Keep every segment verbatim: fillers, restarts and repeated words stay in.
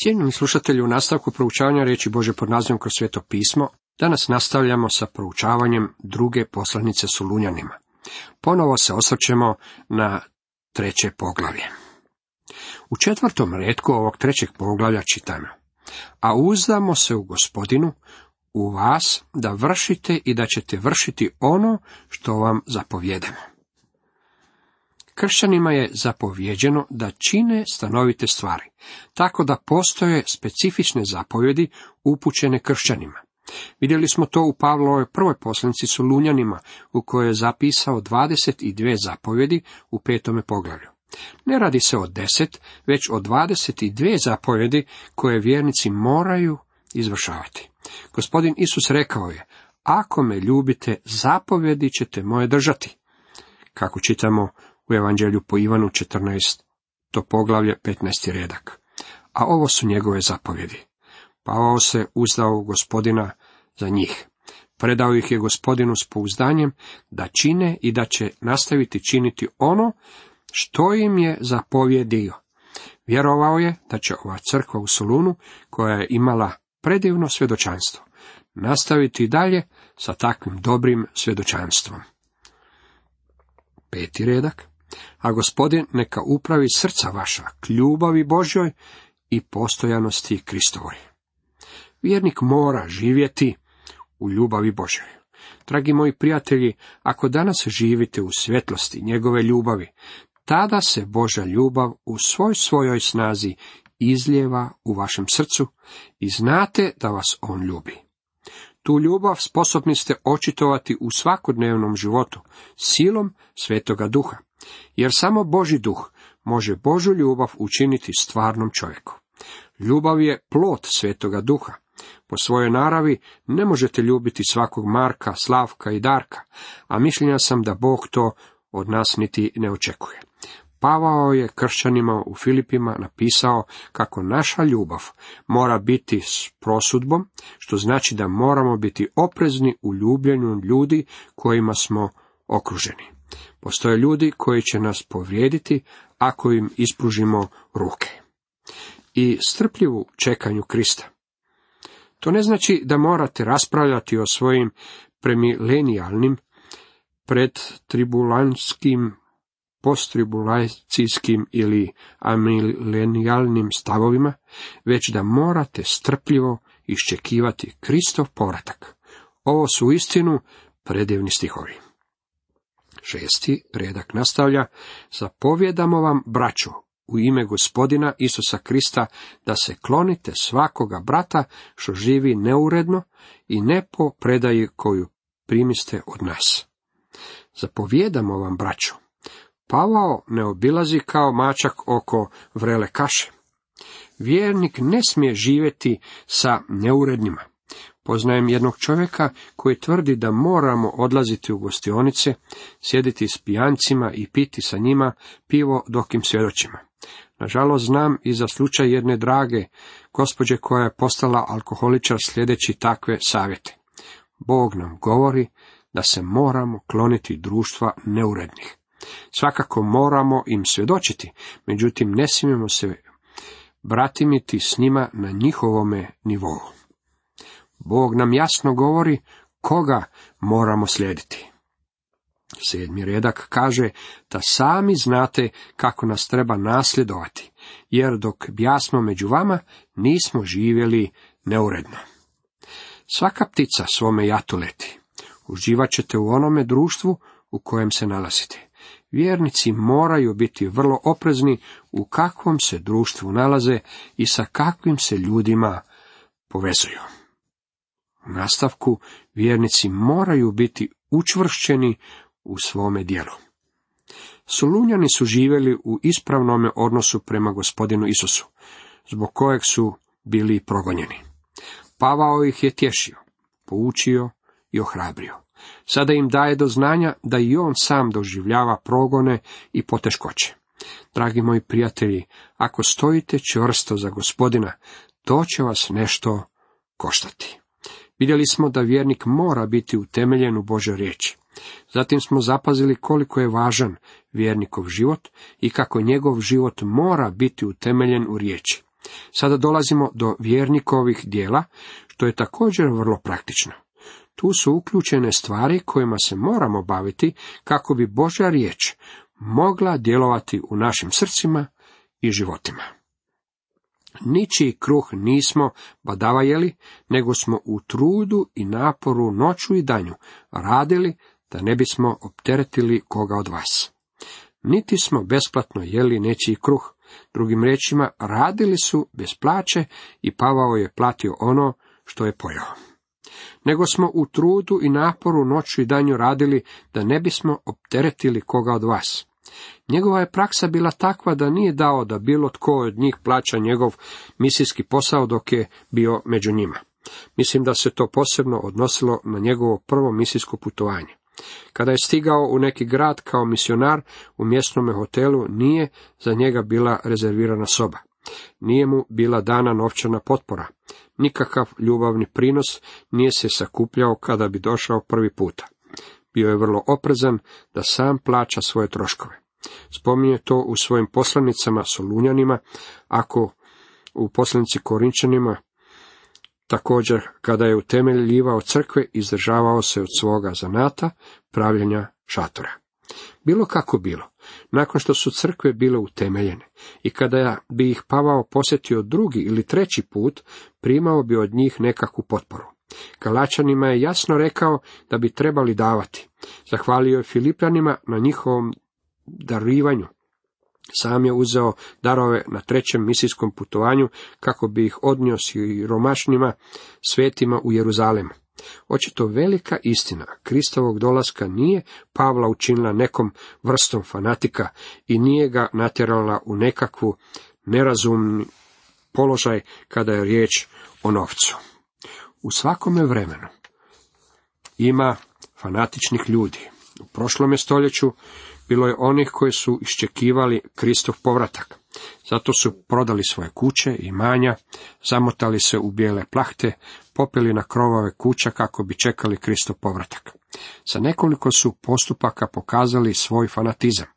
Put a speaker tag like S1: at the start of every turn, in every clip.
S1: Cijenjeni slušatelji, u nastavku proučavanja riječi Božje pod nazivom Kroz sveto pismo, danas nastavljamo sa proučavanjem druge poslanice Solunjanima. Ponovo se osvrćemo na treće poglavlje. U četvrtom retku ovog trećeg poglavlja čitamo: a uzdamo se u Gospodinu, u vas, da vršite i da ćete vršiti ono što vam zapovjedamo. Kršćanima je zapovjeđeno da čine stanovite stvari, tako da postoje specifične zapovjedi upućene kršćanima. Vidjeli smo to u Pavlovoj prvoj poslanici Solunjanima, u kojoj je zapisao dvadeset dvije zapovjedi u petome poglavlju. Ne radi se o deset, već o dvadeset dvije zapovjedi koje vjernici moraju izvršavati. Gospodin Isus rekao je: ako me ljubite, zapovjedi ćete moje držati. Kako čitamo u Evanđelju po Ivanu četrnaesto poglavlje petnaesti redak. A ovo su njegove zapovjedi. Pavao se uzdao u Gospodina za njih. Predao ih je Gospodinu s pouzdanjem da čine i da će nastaviti činiti ono što im je zapovjedio. Vjerovao je da će ova crkva u Solunu, koja je imala predivno svjedočanstvo, nastaviti dalje sa takvim dobrim svjedočanstvom. Peti redak. A Gospodin neka upravi srca vaša k ljubavi Božjoj i postojanosti Kristovoj. Vjernik mora živjeti u ljubavi Božjoj. Dragi moji prijatelji, ako danas živite u svjetlosti njegove ljubavi, tada se Božja ljubav u svoj svojoj snazi izlijeva u vašem srcu i znate da vas on ljubi. Tu ljubav sposobni ste očitovati u svakodnevnom životu silom Svetoga Duha, jer samo Božji duh može Božju ljubav učiniti stvarnom čovjeku. Ljubav je plod Svetoga Duha. Po svojoj naravi ne možete ljubiti svakog Marka, Slavka i Darka, a mišljenja sam da Bog to od nas niti ne očekuje. Pavao je kršćanima u Filipima napisao kako naša ljubav mora biti s prosudbom, što znači da moramo biti oprezni u ljubljenju ljudi kojima smo okruženi. Postoje ljudi koji će nas povrijediti ako im ispružimo ruke. I strpljivu čekanju Krista. To ne znači da morate raspravljati o svojim premilenijalnim, predtribulanskim, posttribulacijskim ili amilenijalnim stavovima, već da morate strpljivo iščekivati Kristov povratak. Ovo su uistinu predivni stihovi. Šesti redak nastavlja: zapovjedamo vam, braćo, u ime Gospodina Isusa Krista, da se klonite svakoga brata što živi neuredno i ne po predaji koju primiste od nas. Zapovjedamo vam, braćo. Pavao ne obilazi kao mačak oko vrele kaše. Vjernik ne smije živjeti sa neurednima. Poznajem jednog čovjeka koji tvrdi da moramo odlaziti u gostionice, sjediti s pijancima i piti sa njima pivo dok im svjedočimo. Nažalost, znam i za slučaj jedne drage gospođe koja je postala alkoholičar sljedeći takve savjete. Bog nam govori da se moramo kloniti društva neurednih. Svakako moramo im svjedočiti, međutim ne smijemo se bratimiti s njima na njihovome nivou. Bog nam jasno govori koga moramo slijediti. Sedmi redak kaže da sami znate kako nas treba nasljedovati, jer dok bjasmo među vama, nismo živjeli neuredno. Svaka ptica svome jatu leti. Uživat ćete u onome društvu u kojem se nalazite. Vjernici moraju biti vrlo oprezni u kakvom se društvu nalaze i sa kakvim se ljudima povezuju. U nastavku, vjernici moraju biti učvršćeni u svome djelu. Solunjani su živjeli u ispravnome odnosu prema Gospodinu Isusu, zbog kojeg su bili progonjeni. Pavao ih je tješio, poučio i ohrabrio. Sada im daje do znanja da i on sam doživljava progone i poteškoće. Dragi moji prijatelji, ako stojite čvrsto za Gospodina, to će vas nešto koštati. Vidjeli smo da vjernik mora biti utemeljen u Božoj riječi. Zatim smo zapazili koliko je važan vjernikov život i kako njegov život mora biti utemeljen u riječi. Sada dolazimo do vjernikovih dijela, što je također vrlo praktično. Tu su uključene stvari kojima se moramo baviti kako bi Božja riječ mogla djelovati u našim srcima i životima. Ničiji kruh nismo badava jeli, nego smo u trudu i naporu noću i danju radili da ne bismo opteretili koga od vas. Niti smo besplatno jeli nečiji kruh, drugim riječima radili su bez plaće i Pavao je platio ono što je pojeo. Nego smo u trudu i naporu noću i danju radili da ne bismo opteretili koga od vas. Njegova je praksa bila takva da nije dao da bilo tko od njih plaća njegov misijski posao dok je bio među njima. Mislim da se to posebno odnosilo na njegovo prvo misijsko putovanje. Kada je stigao u neki grad kao misionar, u mjesnome hotelu nije za njega bila rezervirana soba. Nije mu bila dana novčana potpora. Nikakav ljubavni prinos nije se sakupljao kada bi došao prvi puta. Bio je vrlo oprezan da sam plaća svoje troškove. Spominje to u svojim poslanicama Solunjanima, ako u poslanici Korinčanima, također kada je utemeljivao crkve, izdržavao se od svoga zanata, pravljenja šatora. Bilo kako bilo, nakon što su crkve bile utemeljene i kada bi ih Pavao posjetio drugi ili treći put, primao bi od njih nekakvu potporu. Galačanima je jasno rekao da bi trebali davati. Zahvalio je Filipljanima na njihovom darivanju. Sam je uzeo darove na trećem misijskom putovanju kako bi ih odnio siromašnima svetima u Jeruzalem. Očito velika istina Kristovog dolaska nije Pavla učinila nekom vrstom fanatika i nije ga natjerala u nekakvu nerazumni položaj kada je riječ o novcu. U svakome vremenu ima fanatičnih ljudi. U prošlome stoljeću bilo je onih koji su iščekivali Kristov povratak. Zato su prodali svoje kuće i imanja, zamotali se u bijele plahte, popeli na krovove kuća kako bi čekali Kristov povratak. Sa nekoliko su postupaka pokazali svoj fanatizam.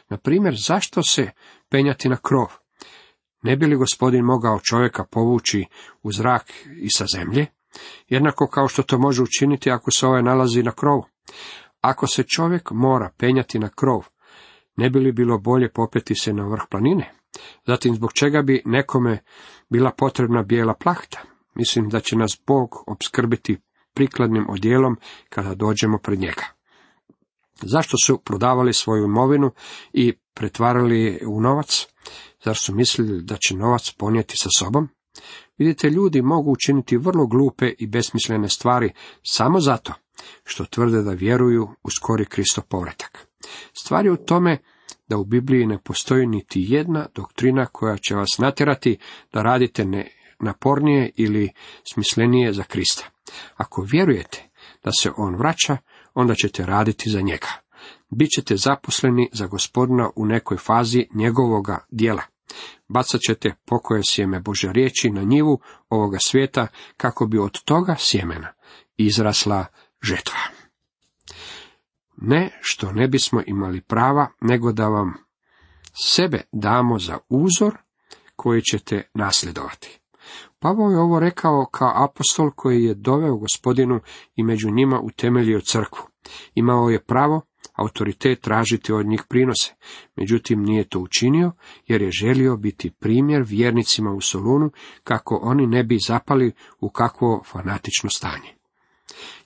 S1: Na primjer, zašto se penjati na krov? Ne bi li Gospodin mogao čovjeka povući u zrak i sa zemlje? Jednako kao što to može učiniti ako se ovaj nalazi na krovu. Ako se čovjek mora penjati na krov, ne bi li bilo bolje popeti se na vrh planine? Zatim, zbog čega bi nekome bila potrebna bijela plahta? Mislim da će nas Bog opskrbiti prikladnim odjelom kada dođemo pred njega. Zašto su prodavali svoju imovinu i pretvarali je u novac? Zar su mislili da će novac ponijeti sa sobom? Vidite, ljudi mogu učiniti vrlo glupe i besmislene stvari samo zato što tvrde da vjeruju u skori Kristov povratak. Stvar je u tome da u Bibliji ne postoji niti jedna doktrina koja će vas natjerati da radite ne napornije ili smislenije za Krista. Ako vjerujete da se on vraća, onda ćete raditi za njega. Bićete zaposleni za Gospodina u nekoj fazi njegovoga djela. Bacat ćete pokoje sjeme Božje riječi na njivu ovoga svijeta kako bi od toga sjemena izrasla žetva. Ne što ne bismo imali prava, nego da vam sebe damo za uzor koji ćete nasljedovati. Pavao je ovo rekao kao apostol koji je doveo Gospodinu i među njima utemeljio crkvu. Imao je pravo, autoritet tražiti od njih prinose, međutim nije to učinio jer je želio biti primjer vjernicima u Solunu kako oni ne bi zapali u kakvo fanatično stanje.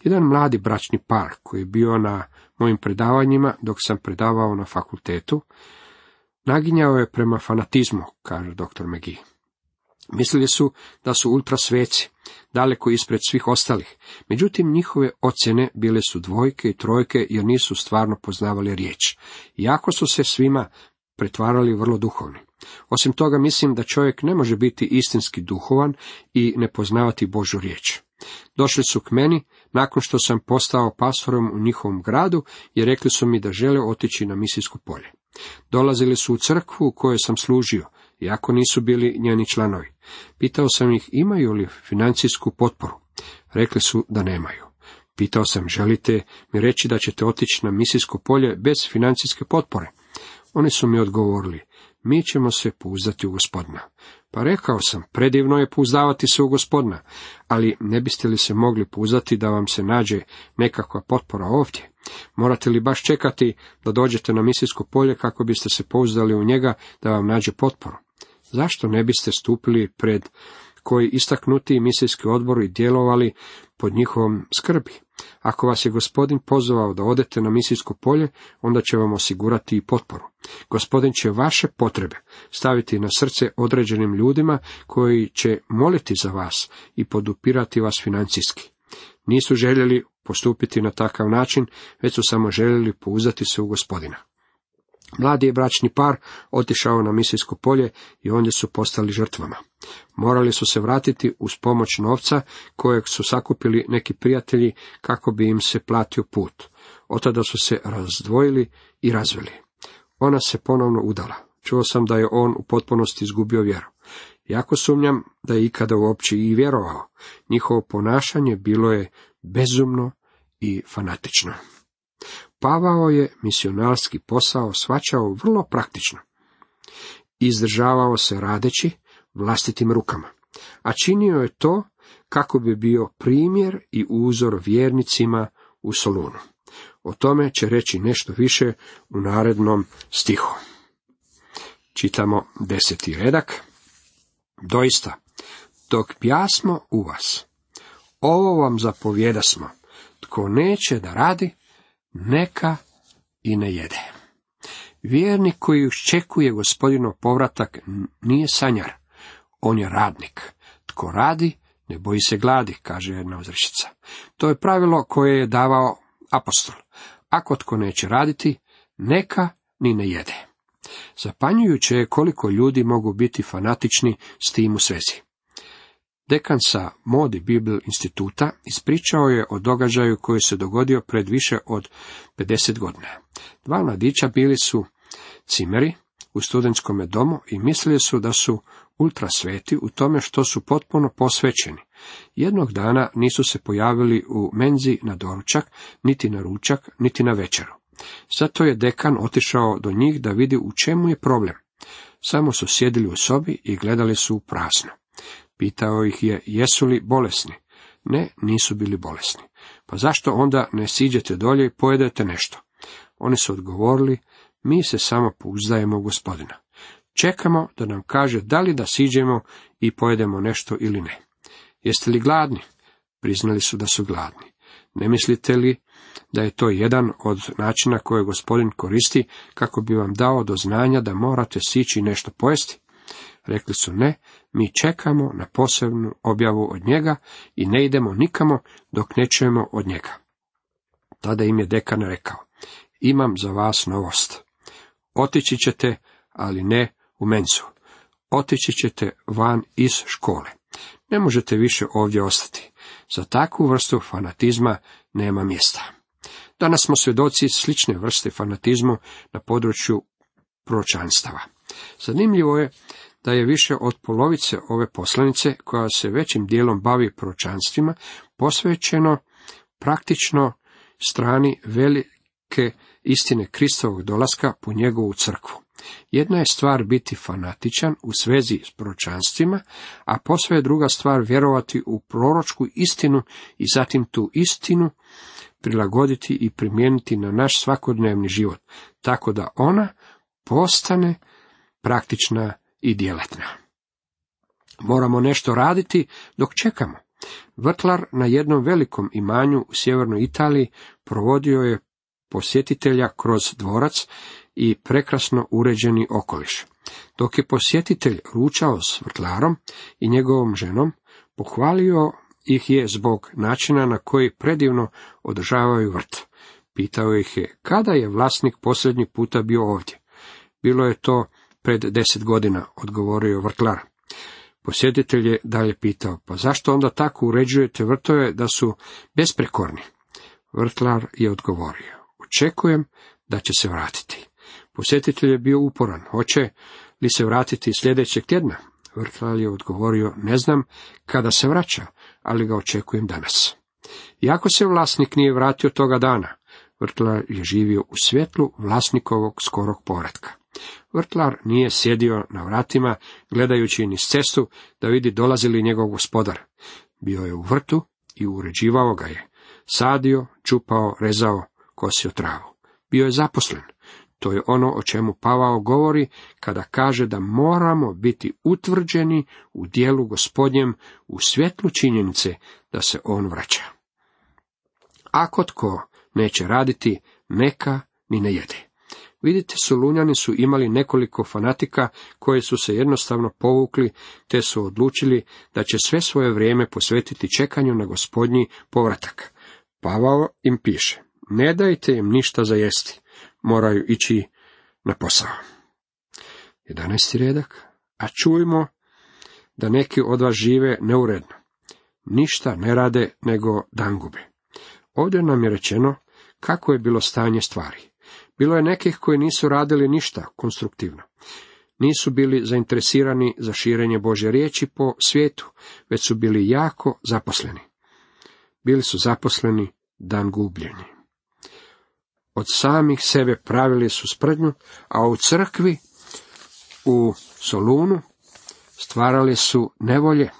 S1: Jedan mladi bračni par koji je bio na mojim predavanjima dok sam predavao na fakultetu, naginjao je prema fanatizmu, kaže doktor McGee. Mislili su da su ultrasveci, daleko ispred svih ostalih, međutim njihove ocjene bile su dvojke i trojke jer nisu stvarno poznavali riječ, iako su se svima pretvarali vrlo duhovni. Osim toga mislim da čovjek ne može biti istinski duhovan i ne poznavati Božju riječ. Došli su k meni nakon što sam postao pastorom u njihovom gradu i rekli su mi da žele otići na misijsko polje. Dolazili su u crkvu u kojoj sam služio, iako nisu bili njeni članovi. Pitao sam ih imaju li financijsku potporu. Rekli su da nemaju. Pitao sam želite mi reći da ćete otići na misijsko polje bez financijske potpore. Oni su mi odgovorili, mi ćemo se pouzdati u Gospodina. Pa rekao sam, predivno je pouzdavati se u Gospodina, ali ne biste li se mogli pouzdati da vam se nađe nekakva potpora ovdje? Morate li baš čekati da dođete na misijsko polje kako biste se pouzdali u njega da vam nađe potporu? Zašto ne biste stupili pred koji istaknuti misijski odbor i djelovali pod njihovom skrbi? Ako vas je Gospodin pozvao da odete na misijsko polje, onda će vam osigurati i potporu. Gospodin će vaše potrebe staviti na srce određenim ljudima koji će moliti za vas i podupirati vas financijski. Nisu željeli postupiti na takav način, već su samo željeli pouzdati se u Gospodina. Mladi je bračni par otišao na misijsko polje i ondje su postali žrtvama. Morali su se vratiti uz pomoć novca kojeg su sakupili neki prijatelji kako bi im se platio put. Od tada su se razdvojili i razveli. Ona se ponovno udala. Čuo sam da je on u potpunosti izgubio vjeru. Jako sumnjam da je ikada uopće i vjerovao. Njihovo ponašanje bilo je bezumno i fanatično. Pavao je misionarski posao shvaćao vrlo praktično. Izdržavao se radeći vlastitim rukama, a činio je to kako bi bio primjer i uzor vjernicima u Solunu. O tome će reći nešto više u narednom stihu. Čitamo deseti redak. Doista, dok bjasmo u vas, ovo vam zapovjedasmo, tko neće da radi, neka i ne jede. Vjernik koji iščekuje Gospodinov povratak nije sanjar, on je radnik. Tko radi, ne boji se gladi, kaže jedna uzrečica. To je pravilo koje je davao apostol. Ako tko neće raditi, neka ni ne jede. Zapanjujuće je koliko ljudi mogu biti fanatični s tim u svezi. Dekan sa Moody Bible instituta ispričao je o događaju koji se dogodio pred više od pedeset godina. Dva mladića bili su cimeri u studentskome domu i mislili su da su ultra sveti u tome što su potpuno posvećeni. Jednog dana nisu se pojavili u menzi na doručak, niti na ručak, niti na večeru. Zato je dekan otišao do njih da vidi u čemu je problem. Samo su sjedili u sobi i gledali su u prazno. Pitao ih je, jesu li bolesni? Ne, nisu bili bolesni. Pa zašto onda ne siđete dolje i pojedete nešto? Oni su odgovorili, mi se samo pouzdajemo u Gospodina. Čekamo da nam kaže da li da siđemo i pojedemo nešto ili ne. Jeste li gladni? Priznali su da su gladni. Ne mislite li da je to jedan od načina koje Gospodin koristi kako bi vam dao do znanja da morate sići nešto pojesti? Rekli su ne, mi čekamo na posebnu objavu od njega i ne idemo nikamo dok ne čujemo od njega. Tada im je dekan rekao, imam za vas novost. Otići ćete, ali ne u menzu. Otići ćete van iz škole. Ne možete više ovdje ostati. Za takvu vrstu fanatizma nema mjesta. Danas smo svjedoci slične vrste fanatizmu na području proročanstava. Zanimljivo je da je više od polovice ove poslanice, koja se većim dijelom bavi proročanstvima, posvećeno praktično strani velike istine Kristovog dolaska po njegovu crkvu. Jedna je stvar biti fanatičan u svezi s proročanstvima, a posve je druga stvar vjerovati u proročku istinu i zatim tu istinu prilagoditi i primijeniti na naš svakodnevni život, tako da ona postane praktična i djelatna. Moramo nešto raditi dok čekamo. Vrtlar na jednom velikom imanju u sjevernoj Italiji provodio je posjetitelja kroz dvorac i prekrasno uređeni okoliš. Dok je posjetitelj ručao s vrtlarom i njegovom ženom, pohvalio ih je zbog načina na koji predivno održavaju vrt. Pitao ih je, kada je vlasnik posljednji puta bio ovdje? Bilo je to pred deset godina, odgovorio vrtlar. Posjetitelj je dalje pitao, pa zašto onda tako uređujete vrtove da su besprekorni? Vrtlar je odgovorio, očekujem da će se vratiti. Posjetitelj je bio uporan, hoće li se vratiti sljedećeg tjedna? Vrtlar je odgovorio, ne znam kada se vraća, ali ga očekujem danas. Iako se vlasnik nije vratio toga dana, vrtlar je živio u svjetlu vlasnikovog skorog povratka. Vrtlar nije sjedio na vratima, gledajući niz cestu da vidi dolazi li njegov gospodar. Bio je u vrtu i uređivao ga je. Sadio, čupao, rezao, kosio travu. Bio je zaposlen. To je ono o čemu Pavao govori kada kaže da moramo biti utvrđeni u dijelu Gospodnjem u svjetlu činjenice da se on vraća. Ako tko neće raditi, neka ni ne jede. Vidite, Solunjani su imali nekoliko fanatika koji su se jednostavno povukli, te su odlučili da će sve svoje vrijeme posvetiti čekanju na Gospodnji povratak. Pavao im piše, ne dajte im ništa za jesti, moraju ići na posao. jedanaesti redak, a čujmo da neki od vas žive neuredno, ništa ne rade nego dangube. Ovdje nam je rečeno kako je bilo stanje stvari. Bilo je nekih koji nisu radili ništa konstruktivno. Nisu bili zainteresirani za širenje Božje riječi po svijetu, već su bili jako zaposleni. Bili su zaposleni dan gubljenja. Od samih sebe pravili su sprdnju, a u crkvi u Solunu stvarali su nevolje.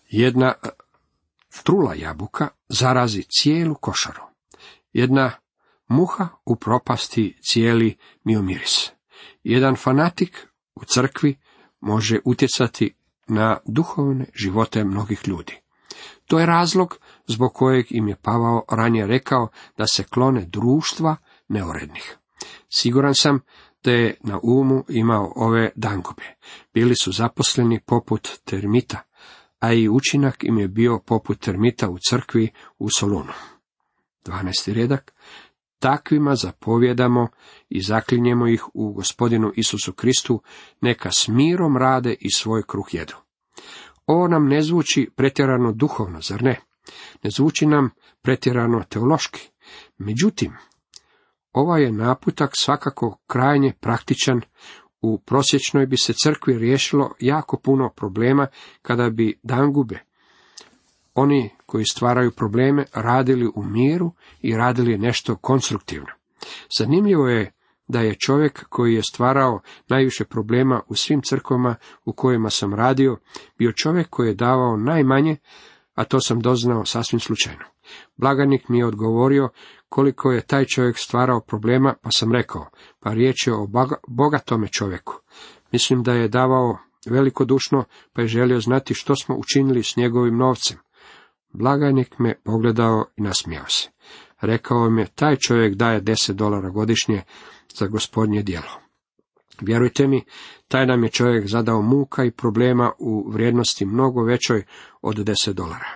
S1: Jedna trula jabuka zarazi cijelu košaru. Jedna muha upropasti cijeli miomiris. Jedan fanatik u crkvi može utjecati na duhovne živote mnogih ljudi. To je razlog zbog kojeg im je Pavao ranije rekao da se klone društva neurednih. Siguran sam da je na umu imao ove dangube. Bili su zaposleni poput termita, a i učinak im je bio poput termita u crkvi u Solunu. dvanaesti redak. Takvima zapovjedamo i zaklinjemo ih u Gospodinu Isusu Kristu, neka s mirom rade i svoj kruh jedu. Ovo nam ne zvuči pretjerano duhovno, zar ne? Ne zvuči nam pretjerano teološki. Međutim, ovaj je naputak svakako krajnje praktičan. U prosječnoj bi se crkvi riješilo jako puno problema kada bi dangube, oni koji stvaraju probleme, radili u miru i radili nešto konstruktivno. Zanimljivo je da je čovjek koji je stvarao najviše problema u svim crkvama u kojima sam radio, bio čovjek koji je davao najmanje, a to sam doznao sasvim slučajno. Blagajnik mi je odgovorio koliko je taj čovjek stvarao problema, pa sam rekao, pa riječ je o bogatome čovjeku. Mislim da je davao velikodušno, pa je želio znati što smo učinili s njegovim novcem. Blagajnik me pogledao i nasmijao se. Rekao mi je, taj čovjek daje deset dolara godišnje za Gospodnje djelo. Vjerujte mi, taj nam je čovjek zadao muka i problema u vrijednosti mnogo većoj od deset dolara.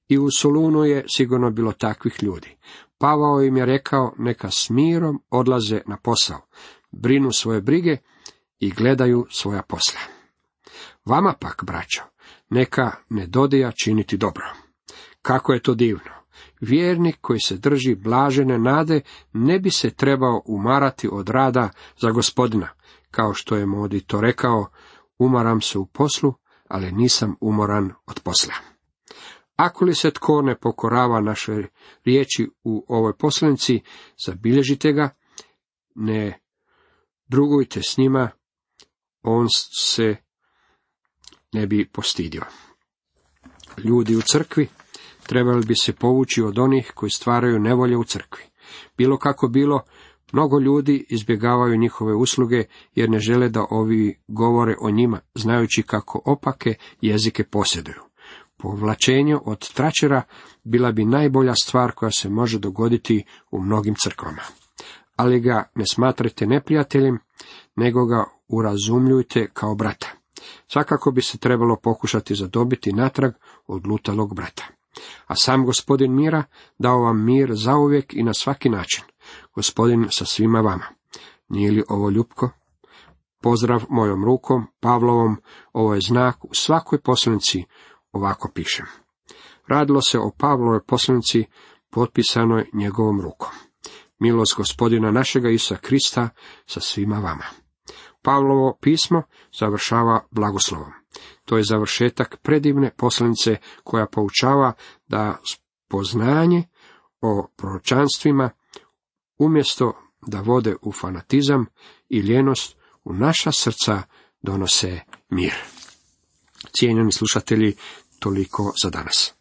S1: I u Solunu je sigurno bilo takvih ljudi. Pavao im je rekao, neka s mirom odlaze na posao, brinu svoje brige i gledaju svoja posla. Vama pak, braćo, neka ne dodija činiti dobro. Kako je to divno! Vjernik koji se drži blažene nade ne bi se trebao umarati od rada za Gospodina, kao što je Modi to rekao, umaram se u poslu, ali nisam umoran od posla. Ako li se tko ne pokorava naše riječi u ovoj poslanici, zabilježite ga, ne drugujte s njima, on se ne bi postidio. Ljudi u crkvi trebali bi se povući od onih koji stvaraju nevolje u crkvi. Bilo kako bilo, mnogo ljudi izbjegavaju njihove usluge jer ne žele da ovi govore o njima, znajući kako opake jezike posjeduju. Povlačenje od tračera bila bi najbolja stvar koja se može dogoditi u mnogim crkvama. Ali ga ne smatrajte neprijateljem, nego ga urazumljujte kao brata. Svakako bi se trebalo pokušati zadobiti natrag odlutalog brata. A sam Gospodin mira dao vam mir zauvijek i na svaki način. Gospodin sa svima vama. Nije li ovo ljupko? Pozdrav mojom rukom, Pavlovom, ovo je znak u svakoj poslanici, ovako pišem. Radilo se o Pavlovoj poslanici potpisanoj njegovom rukom. Milost Gospodina našega Isusa Krista sa svima vama. Pavlovo pismo završava blagoslovom. To je završetak predivne poslanice koja poučava da poznanje o proročanstvima umjesto da vode u fanatizam i ljenost u naša srca donose mir. Cijenjeni slušatelji, toliko za danas.